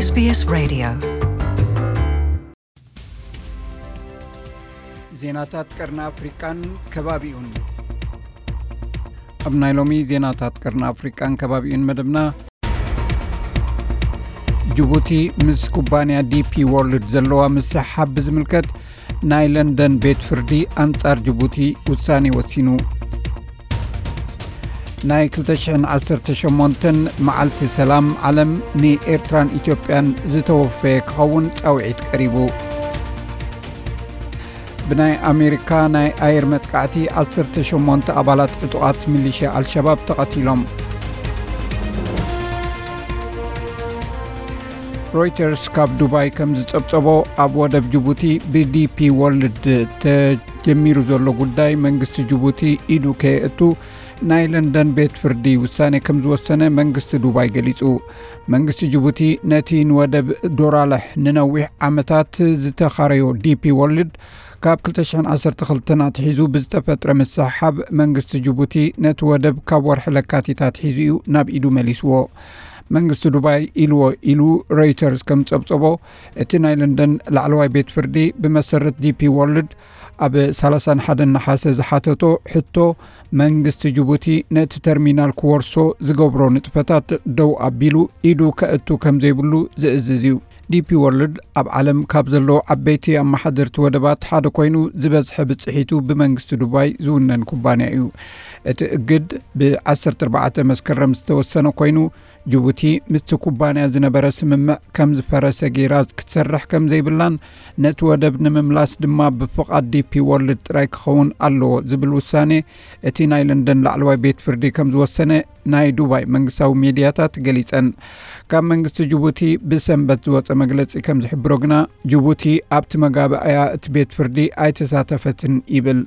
SBS Radio. ዜናታት ቀርኒ ኣፍሪቃን ከባቢኡን። ኣብ ናይ ሎሚ ዜናታት ቀርኒ ኣፍሪቃን ከባቢኡን መደብና፣ ጅቡቲ ምስ ኩባንያ ዲፒ ወርልድ ዘለዋ ምስሕሓብ ብዝምልከት ናይ ለንደን ቤት ፍርዲ ኣንጻር ጅቡቲ ውሳኔ ወሲኑ። ናይ ክልተ ሽሕን ዓሰርተ ሸሞንተን መዓልቲ ሰላም ዓለም ንኤርትራን ኢትዮጵያን ዝተወፈየ ክኸውን ጻውዒት ቀሪቡ። ብናይ ኣሜሪካ ናይ ኣየር መጥቃዕቲ ዓሰርተ ሸሞንተ ኣባላት ዕጡቓት ሚሊሽያ ኣልሸባብ ተቐቲሎም። ሮይተርስ ካብ ዱባይ ከም ዝጸብጸቦ፣ ኣብ ወደብ ጅቡቲ ብዲፒ ወርልድ ተጀሚሩ ዘሎ ጉዳይ መንግስቲ ጅቡቲ ኢዱ ከየእቱ ናይ ለንደን ቤት ፍርዲ ውሳኔ ከም ዝወሰነ መንግስቲ ዱባይ ገሊጹ። መንግስቲ ጅቡቲ ነቲ ንወደብ ዶራለሕ ንነዊሕ ዓመታት ዝተኻረዮ ዲፒ ወርልድ ካብ ክልተ ሽሕን ዓሰርተ ክልተን ኣትሒዙ ብዝተፈጥረ ምስሕሓብ መንግስቲ ጅቡቲ ነቲ ወደብ ካብ ወርሒ ለካቲት ኣትሒዙ እዩ ናብ ኢዱ መሊስዎ። መንግስቲ ዱባይ ኢልዎ ኢሉ ሮይተርስ ከም ጸብጸቦ፣ እቲ ናይ ለንደን ላዕለዋይ ቤት ፍርዲ ብመሰረት ዲፒ ወርልድ ኣብ ሰላሳን ሓደን ነሓሰ ዝሓተቶ ሕቶ፣ መንግስቲ ጅቡቲ ነቲ ተርሚናል ክወርሶ ዝገብሮ ንጥፈታት ደው ኣቢሉ ኢዱ ከእቱ ከም ዘይብሉ ዝእዝዝ እዩ። ዲፒ ወርልድ ኣብ ዓለም ካብ ዘለዉ ዓበይቲ ኣመሓደርቲ ወደባት ሓደ ኮይኑ፣ ዝበዝሐ ብጽሒቱ ብመንግስቲ ዱባይ ዝውነን ኩባንያ እዩ። እቲ እግድ ብ ዓሰርተ ኣርባዕተ መስከረም ዝተወሰነ ኮይኑ፣ ጅቡቲ ምስቲ ኩባንያ ዝነበረ ስምምዕ ከም ዝፈረሰ ገይራ ክትሰርሕ ከም ዘይብላን ነቲ ወደብ ንምምላስ ድማ ብፍቓድ ዲፒ ወርልድ ጥራይ ክኸውን ኣለዎ ዝብል ውሳኔ እቲ ናይ ለንደን ላዕለዋይ ቤት ፍርዲ ከም ዝወሰነ ናይ ዱባይ መንግስታዊ ሚድያታት ገሊጸን። ካብ መንግስቲ ጅቡቲ ብሰንበት ዝወጸ መግለጺ ከም ዝሕብሮ ግና፣ ጅቡቲ ኣብቲ መጋባእያ እቲ ቤት ፍርዲ ኣይተሳተፈትን ይብል።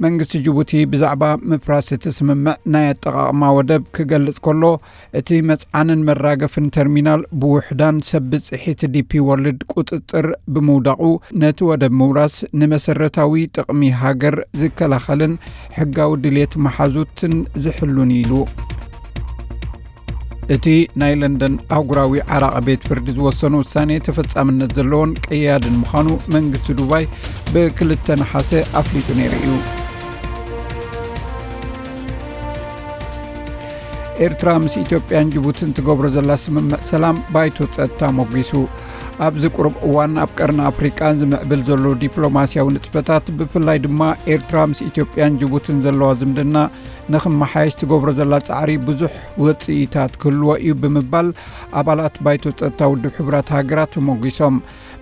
መንግስቲ ጅቡቲ ብዛዕባ ምፍራስ እቲ ስምምዕ ናይ ኣጠቓቕማ ወደብ ክገልጽ ከሎ፣ እቲ መጽዓንን መራገፍን ተርሚናል ብውሕዳን ሰብ ብጽሒት ዲፒ ወርልድ ቁጽጽር ብምውዳቑ፣ ነቲ ወደብ ምውራስ ንመሰረታዊ ጥቕሚ ሃገር ዝከላኸልን ሕጋዊ ድልየት መሓዙትን ዝሕሉን እዩ ኢሉ። እቲ ናይ ለንደን ኣህጉራዊ ዓራቒ ቤት ፍርዲ ዝወሰኖ ውሳኔ ተፈጻምነት ዘለዎን ቀያድን ምዃኑ መንግስቲ ዱባይ ብክልተ ነሓሰ ኣፍሊጡ ነይሩ እዩ። ኤርትራ ምስ ኢትዮጵያን ጅቡትን ትገብሮ ዘላ ስምምዕ ሰላም ባይቶ ጸጥታ ሞጊሱ። ኣብዚ ቁሩብ እዋን ኣብ ቀርኒ ኣፍሪቃ ዝምዕብል ዘሎ ዲፕሎማስያዊ ንጥፈታት፣ ብፍላይ ድማ ኤርትራ ምስ ኢትዮጵያን ጅቡትን ዘለዋ ዝምድና ንኽመሓየሽ ትገብሮ ዘላ ጻዕሪ ብዙሕ ውጽኢታት ክህልዎ እዩ ብምባል ኣባላት ባይቶ ጸጥታ ውድብ ሕቡራት ሃገራት ተሞጊሶም።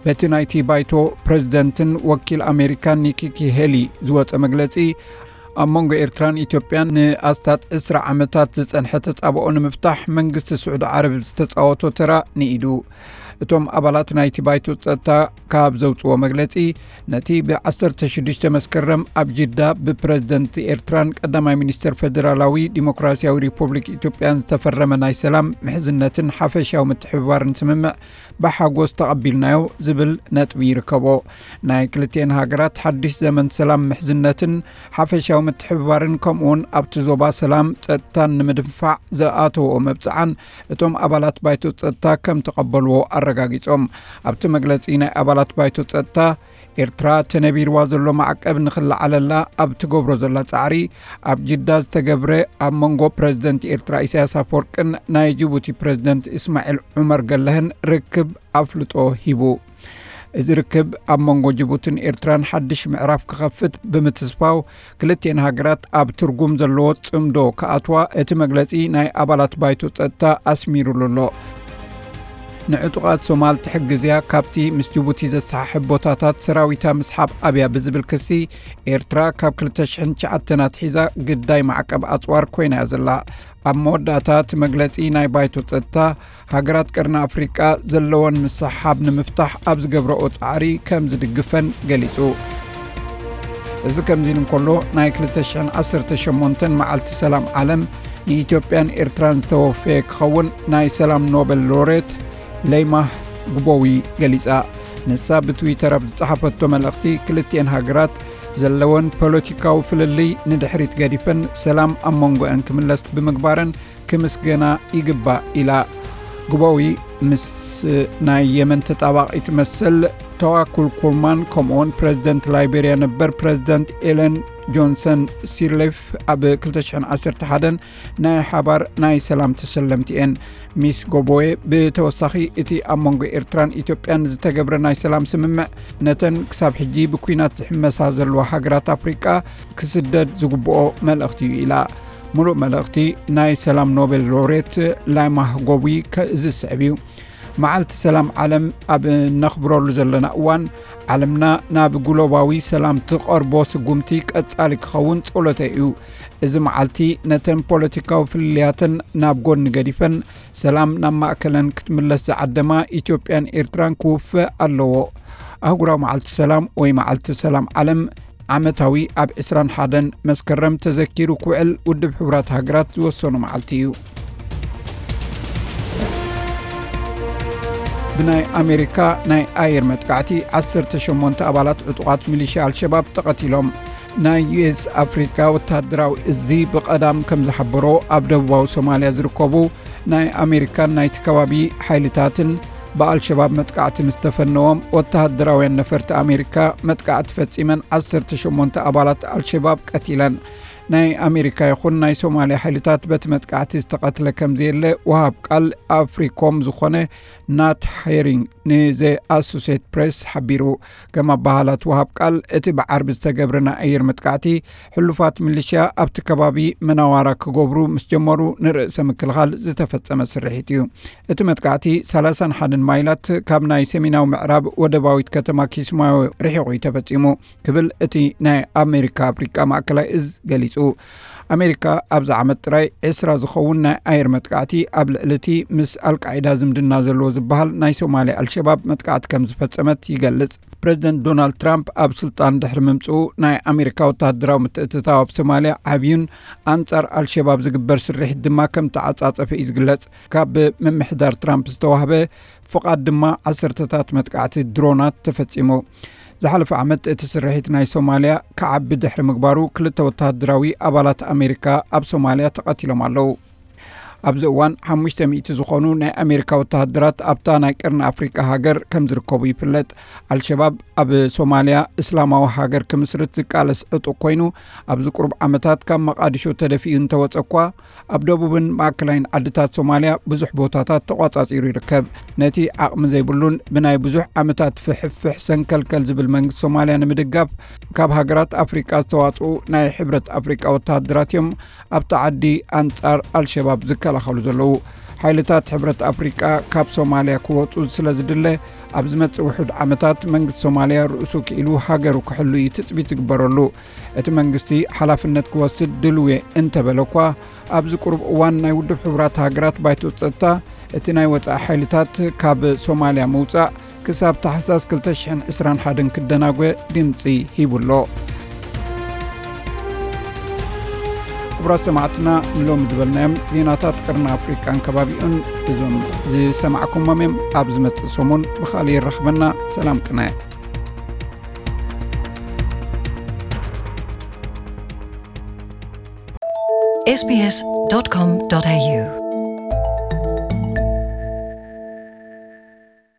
በቲ ናይቲ ባይቶ ፕረዚደንትን ወኪል ኣሜሪካን ኒኪ ሄሊ ዝወጸ መግለጺ፣ ኣብ መንጎ ኤርትራን ኢትዮጵያን ንኣስታት ዕስራ ዓመታት ዝጸንሐ ተጻብኦ ንምፍታሕ መንግስቲ ስዑዲ ዓረብ ዝተጻወቶ ተራ ንኢዱ። እቶም ኣባላት ናይቲ ባይቶ ጸጥታ ካብ ዘውጽዎ መግለጺ፣ ነቲ ብ ዓሰርተ ሽዱሽተ መስከረም ኣብ ጅዳ ብፕረዚደንት ኤርትራን ቀዳማይ ሚኒስተር ፈደራላዊ ዲሞክራሲያዊ ሪፑብሊክ ኢትዮጵያን ዝተፈረመ ናይ ሰላም፣ ምሕዝነትን ሓፈሻዊ ምትሕብባርን ስምምዕ ብሓጎስ ተቐቢልናዮ ዝብል ነጥቢ ይርከቦ። ናይ ክልቲኤን ሃገራት ሓድሽ ዘመን ሰላም፣ ምሕዝነትን ሓፈሻዊ ምትሕብባርን፣ ከምኡውን ኣብቲ ዞባ ሰላም ጸጥታን ንምድንፋዕ ዝኣተወኦ መብጽዓን እቶም ኣባላት ባይቶ ጸጥታ ከም ተቐበልዎ ኣረጋጊጾም። ኣብቲ መግለጺ፣ ናይ ኣባላት ባይቶ ጸጥታ፣ ኤርትራ ተነቢርዋ ዘሎ ማዕቀብ ንኽለዓለላ ኣብ ትገብሮ ዘላ ጻዕሪ፣ ኣብ ጅዳ ዝተገብረ ኣብ መንጎ ፕረዚደንት ኤርትራ ኢሳያስ ኣፈወርቅን ናይ ጅቡቲ ፕረዚደንት እስማዒል ዑመር ገለህን ርክብ ኣፍልጦ ሂቡ። እዚ ርክብ ኣብ መንጎ ጅቡትን ኤርትራን ሓድሽ ምዕራፍ ክኸፍት ብምትስፋው፣ ክልቲኤን ሃገራት ኣብ ትርጉም ዘለዎ ጽምዶ ክኣትዋ እቲ መግለጺ ናይ ኣባላት ባይቶ ጸጥታ ኣስሚሩሉ ኣሎ። ንዕጡቓት ሶማል ትሕግዝ እያ፣ ካብቲ ምስ ጅቡቲ ዘሰሓሕብ ቦታታት ሰራዊታ ምስሓብ ኣብያ ብዝብል ክሲ፣ ኤርትራ ካብ ክልተ ሽሕን ትሽዓተን ኣትሒዛ ግዳይ ማዕቀብ ኣጽዋር ኮይና እያ ዘላ። ኣብ መወዳእታ እቲ መግለጺ፣ ናይ ባይቶ ጸጥታ፣ ሃገራት ቀርኒ ኣፍሪቃ ዘለወን ምስሕሓብ ንምፍታሕ ኣብ ዝገብረኦ ጻዕሪ ከም ዝድግፈን ገሊጹ። እዚ ከምዚ ኢሉ እንከሎ፣ ናይ ክልተ ሽሕን ዓሰርተ ሸሞንተን መዓልቲ ሰላም ዓለም ንኢትዮጵያን ኤርትራን ዝተወፈየ ክኸውን ናይ ሰላም ኖበል ሎሬት ለይማህ ግቦዊ ገሊጻ። ንሳ ብትዊተር ኣብ ዝጸሓፈቶ መልእኽቲ፣ ክልቲኤን ሃገራት ዘለወን ፖለቲካዊ ፍልልይ ንድሕሪት ገዲፈን ሰላም ኣብ መንጎአን ክምለስ ብምግባረን ክምስገና ይግባእ ኢላ። ግቦዊ ምስ ናይ የመን ተጣባቒ ትመስል ተዋኩል ኩርማን፣ ከምኡውን ፕረዚደንት ላይቤርያ ነበር ፕረዚደንት ኤለን ጆንሰን ሲርሌፍ ኣብ ክልተ ሽሕን ዓሰርተ ሓደን ናይ ሓባር ናይ ሰላም ተሰለምቲ እየን። ሚስ ጎቦዌ ብተወሳኺ፣ እቲ ኣብ መንጎ ኤርትራን ኢትዮጵያን ዝተገብረ ናይ ሰላም ስምምዕ፣ ነተን ክሳብ ሕጂ ብኲናት ዝሕመሳ ዘለዋ ሃገራት ኣፍሪቃ ክስደድ ዝግብኦ መልእኽቲ እዩ ኢላ። ሙሉእ መልእኽቲ ናይ ሰላም ኖቤል ሎሬት ላይማህ ጎቡይ ከ-፣ ዝስዕብ እዩ። መዓልቲ ሰላም ዓለም ኣብ እነኽብረሉ ዘለና እዋን፣ ዓለምና ናብ ግሎባዊ ሰላም ትቐርቦ ስጉምቲ ቀጻሊ ክኸውን ጸሎተይ እዩ። እዚ መዓልቲ ነተን ፖለቲካዊ ፍልልያተን ናብ ጎኒ ገዲፈን፣ ሰላም ናብ ማእከለን ክትምለስ ዝዓደማ ኢትዮጵያን ኤርትራን ክውፈ ኣለዎ። ኣህጉራዊ መዓልቲ ሰላም ወይ መዓልቲ ሰላም ዓለም ዓመታዊ ኣብ ዕስራን ሓደን መስከረም ተዘኪሩ ክውዕል ውድብ ሕቡራት ሃገራት ዝወሰኖ መዓልቲ እዩ። ብናይ ኣሜሪካ ናይ ኣየር መጥቃዕቲ ዓሰርተ ሸሞንተ ኣባላት ዕጡቓት ሚሊሽያ ኣልሸባብ ተቐቲሎም። ናይ ዩ ኤስ ኣፍሪካ ወተሃደራዊ እዚ ብቐዳም ከም ዝሓበሮ፣ ኣብ ደቡባዊ ሶማልያ ዝርከቡ ናይ ኣሜሪካን ናይቲ ከባቢ ሓይልታትን ብኣልሸባብ መጥቃዕቲ ምስ ተፈነዎም፣ ወተሃደራውያን ነፈርቲ ኣሜሪካ መጥቃዕቲ ፈጺመን ዓሰርተ ሸሞንተ ኣባላት ኣልሸባብ ቀቲለን። ናይ ኣሜሪካ ይኹን ናይ ሶማልያ ሓይልታት በቲ መጥቃዕቲ ዝተቐትለ ከም ዘየለ ወሃብ ቃል ኣፍሪኮም ዝኾነ ናት ሄሪንግ ንዘ ኣሶሴት ፕሬስ ሓቢሩ። ከም ኣባሃላት ወሃብ ቃል፣ እቲ ብዓርቢ ዝተገብረ ናይ ኣየር መጥቃዕቲ፣ ሕሉፋት ሚሊሽያ ኣብቲ ከባቢ መናዋራ ክገብሩ ምስ ጀመሩ ንርእሰ ምክልኻል ዝተፈጸመ ስርሒት እዩ። እቲ መጥቃዕቲ ሰላሳን ሓደን ማይላት ካብ ናይ ሰሜናዊ ምዕራብ ወደባዊት ከተማ ኪስማዮ ርሒቑ እዩ ተፈጺሙ ክብል እቲ ናይ ኣሜሪካ ኣፍሪቃ ማእከላይ እዝ ገሊጹ። ኣሜሪካ ኣብዚ ዓመት ጥራይ ዕስራ ዝኸውን ናይ ኣየር መጥቃዕቲ ኣብ ልዕሊ እቲ ምስ ኣልቃዒዳ ዝምድና ዘለዎ ዝበሃል ናይ ሶማልያ ኣልሸባብ መጥቃዕቲ ከም ዝፈጸመት ይገልጽ። ፕረዚደንት ዶናልድ ትራምፕ ኣብ ስልጣን ድሕሪ ምምጽኡ፣ ናይ ኣሜሪካ ወተሃደራዊ ምትእትታው ኣብ ሶማልያ ዓብዩን ኣንጻር ኣልሸባብ ዝግበር ስርሒት ድማ ከም ተዓጻጸፈ እዩ ዝግለጽ። ካብ ምምሕዳር ትራምፕ ዝተዋህበ ፍቓድ ድማ ዓሰርተታት መጥቃዕቲ ድሮናት ተፈጺሙ። ዝሓለፈ ዓመት እቲ ስርሒት ናይ ሶማልያ ክዓቢ ድሕሪ ምግባሩ፣ ክልተ ወተሃደራዊ ኣባላት ኣሜሪካ ኣብ ሶማልያ ተቐቲሎም ኣለዉ። ኣብዚ እዋን ሓሙሽተ ሚእቲ ዝኾኑ ናይ ኣሜሪካ ወተሃደራት ኣብታ ናይ ቀርኒ ኣፍሪቃ ሃገር ከም ዝርከቡ ይፍለጥ። ኣልሸባብ ኣብ ሶማልያ እስላማዊ ሃገር ክምስርት ዝቃለስ ዕጡቕ ኮይኑ፣ ኣብዚ ቁሩብ ዓመታት ካብ መቓዲሾ ተደፊኡ እንተወጸ እኳ፣ ኣብ ደቡብን ማእከላይን ዓድታት ሶማልያ ብዙሕ ቦታታት ተቋጻጺሩ ይርከብ። ነቲ ዓቕሚ ዘይብሉን ብናይ ብዙሕ ዓመታት ፍሕፍሕ ሰንከልከል ዝብል መንግስቲ ሶማልያ ንምድጋፍ፣ ካብ ሃገራት ኣፍሪቃ ዝተዋጽኡ ናይ ሕብረት ኣፍሪቃ ወተሃደራት እዮም ኣብቲ ዓዲ ኣንጻር ኣልሸባብ ዝከላኸሉ ዘለዉ። ሓይልታት ሕብረት ኣፍሪቃ ካብ ሶማልያ ክወጹ ስለ ዝድለ፣ ኣብ ዝመጽእ ውሑድ ዓመታት መንግስቲ ሶማልያ ርእሱ ክኢሉ ሃገሩ ክሕሉ እዩ ትጽቢት ዝግበረሉ። እቲ መንግስቲ ሓላፍነት ክወስድ ድልው እየ እንተበለ እኳ፣ ኣብዚ ቁሩብ እዋን ናይ ውድብ ሕቡራት ሃገራት ባይቶ ጸጥታ፣ እቲ ናይ ወጻኢ ሓይልታት ካብ ሶማልያ ምውጻእ ክሳብ ታሕሳስ ክልተ ሽሕን ዕስራን ሓደን ክደናጎ ድምጺ ሂቡ ኣሎ። ክቡራት ሰማዕትና፣ ንሎሚ ዝበልናዮም ዜናታት ቀርኒ ኣፍሪቃን ከባቢኡን እዞም ዝሰማዕኩሞም እዮም። ኣብ ዝመጽእ ሰሙን ብኻልእ ይራኽበና። ሰላም ቅነ። S B S dot com dot A U